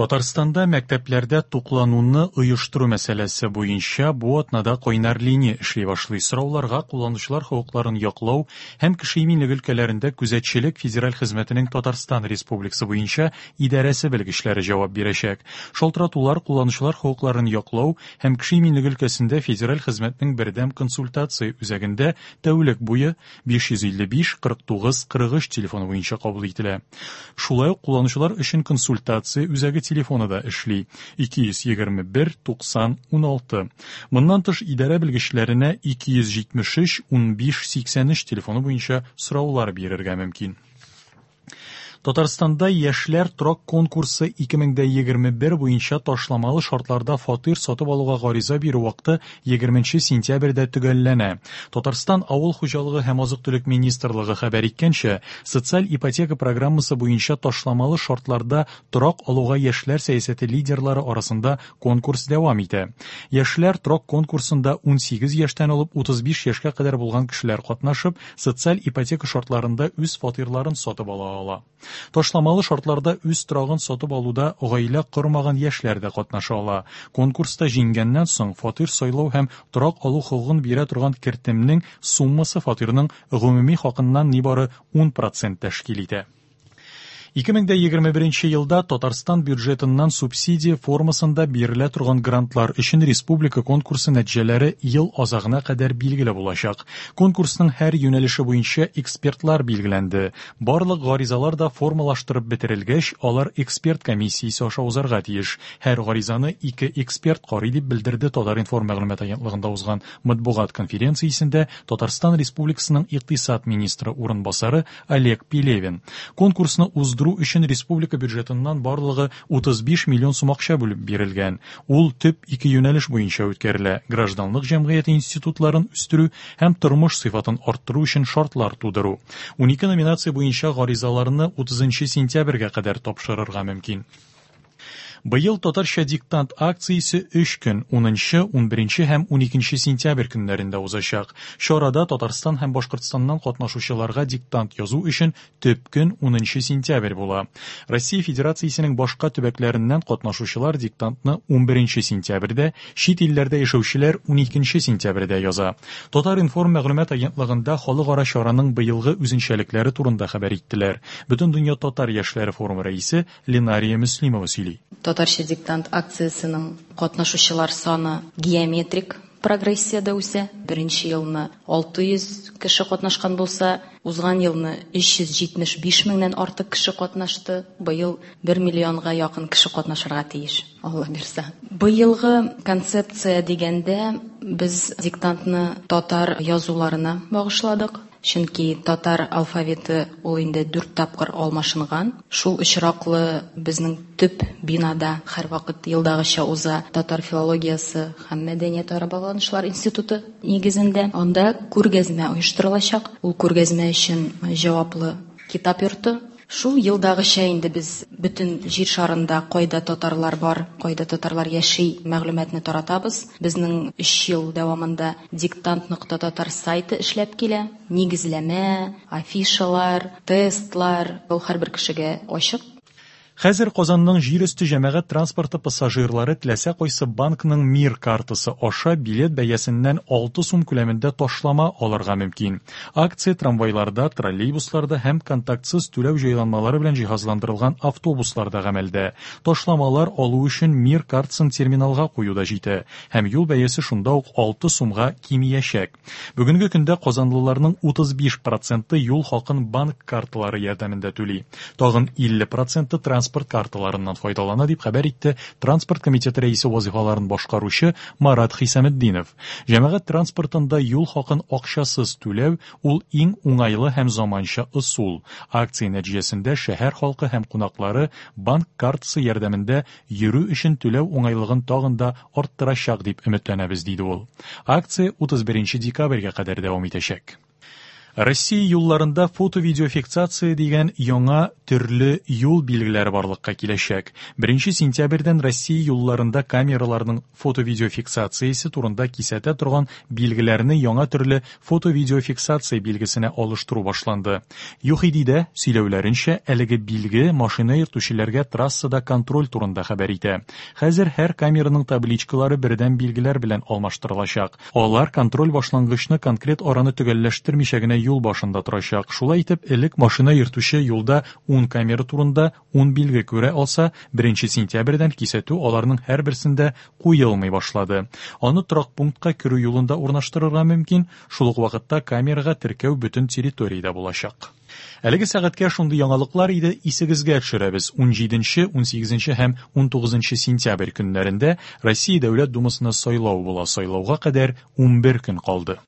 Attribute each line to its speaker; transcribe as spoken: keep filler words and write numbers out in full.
Speaker 1: Татарстанда мәктәпләрдә туклануны оештыру мәсьәләсе буенча бу атнада кайнар линия эшли башлый. Сорауларга кулланучылар хокукларын яклау һәм кеше иминлеге өлкәләрендә күзәтчелек федераль хезмәтенең Татарстан Республикасы буенча идарәсе белгечләре җавап бирәчәк. Шалтыратулар кулланучылар хокукларын яклау һәм кеше иминлеге өлкәсендә федераль хезмәтнең бердәм консультация үзәгендә тәүлек буе биш йөз илле биш кырык тугыз кырык өч телефоны буенча кабул ителә. Шулай ук кулланучылар өчен консультация үзәге телефоны да эшли. ике йөз егерме бер туксан уналты. Моннан тыш идарә белгечләренә ике йөз җитмеш өч унбиш сиксән өч телефоны буенча сораулар бирергә мөмкин. Татарстанда яшьләр торак конкурсы ике мең дә егерме бер буенча ташламалы шартларда фатир сатып алуга гариза бирү вакыты егерменче сентябрьдә төгәлләнә. Татарстан Авыл хуҗалыгы һәм азык-төлек министрлыгы хәбәр иткәнчә, социаль ипотека программасы буенча ташламалы шартларда торак алуга яшьләр сәясәте лидерлары арасында конкурс дәвам итә. Яшьләр торак конкурсында унсигез яшьтән алып утыз биш яшькә кадәр булган кешеләр катнашып, социаль ипотека шартларында үз фатирларын сатып ала ала. Ташламалы шартларда үз торагын сатып алуда гаилә кормаган яшьләр дә катнаша ала. Конкурста җиңгәннән соң фатир сайлау һәм торак алу хокукын бирә торган кертемнең суммасы фатирның гомуми хакыннан нибары ун процент тәшкил итә. Ике мең дә егерме беренче елда Татарстан бюджетыннан субсидия формасында бирелә торган грантлар өчен республика конкурсы нәтиҗәләре ел азагына кадәр билгеле булачак. Конкурсның һәр юнәлеше буенча экспертлар билгеләнде. Барлык гаризалар да формалаштырып бетерелгәч, алар эксперт комиссиясе аша узарга тиеш. Һәр гаризаны ике эксперт карый дип белдерде Татар-информ мәгълүмат агентлыгында узган матбугат конференциясендә Татарстан Республикасының икътисад министры урынбасары Олег Пелевин. Конкурсны уздыру өчен республика бюджетыннан барлыгы утыз биш миллион сум акча бүлеп бирелгән. Ул төп ике юнәлеш буенча үткәрелә: гражданлык җәмгыяте институтларын үстерү һәм тормыш сыйфатын арттыру өчен шартлар тудыру. Унике номинация буенча гаризаларны утызынчы сентябрьгә кадәр тапшырырга мөмкин. Быел татарча диктант акциясе өч көн, унынчы, унберенче һәм уникенче сентябрь көннәрендә узачак. Чарада Татарстан һәм Башкортстаннан катнашучыларга диктант язу өчен төп көн унынчы сентябрь була. Россия Федерациясенең башка төбәкләреннән катнашучылар диктантны унберенче сентябрьдә, чит илләрдә яшәүчеләр уникенче сентябрьдә яза. Татар-информ мәгълүмат агентлыгында халыкара чараның быелгы үзенчәлекләре турында хәбәр иттеләр. Бөтендөнья татар яшьләре форумы рәисе Ленария Мөслимова сөйли.
Speaker 2: Татарча диктант акциясенең катнашучылар саны геометрик прогрессиядә үсә. Беренче елны алты йөз кеше катнашкан булса, узган елны өч йөз җитмеш биш меңнән артык кеше катнашты. Быел бер миллионга якын кеше катнашырга тиеш, Алла бирсә. Быелгы концепция дигәндә без диктантны татар язуларына багышладык. Чөнки татар алфавиты ул инде дүрт тапкыр алмашынган. Шул очраклы безнең төп бинада һәрвакыт елдагыча уза татар филологиясе һәм мәдәниятара багланышлар институты нигезендә. Анда күргәзмә оештырылачак. Ул күргәзмә өчен җаваплы китап йорты. Шул елдагыча инде без бөтен җир шарында кайда татарлар бар, кайда татарлар яши мәгълүматны таратабыз. Безнең өч ел дәвамында диктант нокта татар сайты эшләп килә. Нигезләмә, афишалар, тестлар, ул һәрбер кешегә ачык.
Speaker 1: Хәзер Казанның җир өсте җәмәгать транспорты пассажирлары теләсә кайсы банкның Мир картасы аша билет бәясеннән алты сум күләмендә ташлама алырга мөмкин. Акция трамвайларда, троллейбусларда һәм контактсыз түләү җайланмалары белән җиһазландырылган автобусларда гамәлдә. Ташламалар алу өчен Мир картасын терминалга кую да җитә һәм юл бәясе шунда ук алты сумга кимиячәк. Бүгенге көндә казанлыларның утыз биш проценты юл хакын банк карталары ярдәмендә түли. Тагын илле проценты транспорт карталарыннан файдалана дип хәбәр итте Транспорт комитеты рәисе вазифаларын башкаручы Марат Хисаметдинов. Җәмәгать транспортында юл хакын акчасыз түләү ул иң уңайлы һәм заманча ысул. Акция нәтиҗәсендә шәһәр халкы һәм кунаклары банк картасы ярдәмендә йөрү өчен түләү уңайлыгын тагын да арттырачак дип өметләнәбез, диде ул. Акция утыз беренче декабрьгә кадәр дәвам итәчәк. Россия юлларында фото-видеофиксация дигән яңа төрле юл билгеләре барлыкка киләчәк. Беренче сентябрьдән Россия юлларында камераларның фото-видеофиксациясе турында кисәтә торган билгеләрне яңа төрле фото-видеофиксация билгесенә алыштыру башланды. ЮХИДИдә сөйләүләренчә, әлеге билге машина йөртүчеләргә трассада контроль турында хәбәр итә. Хәзер һәр камераның табличкалары бердәм билгеләр белән алмаштырылачак. Алар контроль башлангычны конкрет араны төгәлләштермичә генә юл башында торачак. Шулай итеп, элек машина йөртүче юлда ун камера турында ун билге күрә алса, беренче сентябрьдән кисәтү аларның һәрберсендә куелмый башлады. Аны торак пунктка керү юлында урнаштырырга мөмкин, шул ук вакытта камерага теркәү бөтен территориядә булачак. Әлеге сәгатькә шундый яңалыклар иде, исегезгә төшерәбез. ун җиденче, ун сигезенче һәм ун тугызынчы сентябрь көннәрендә Россия Дәүләт Думасына сайлау була. Сайлауга кадәр ун бер көн калды.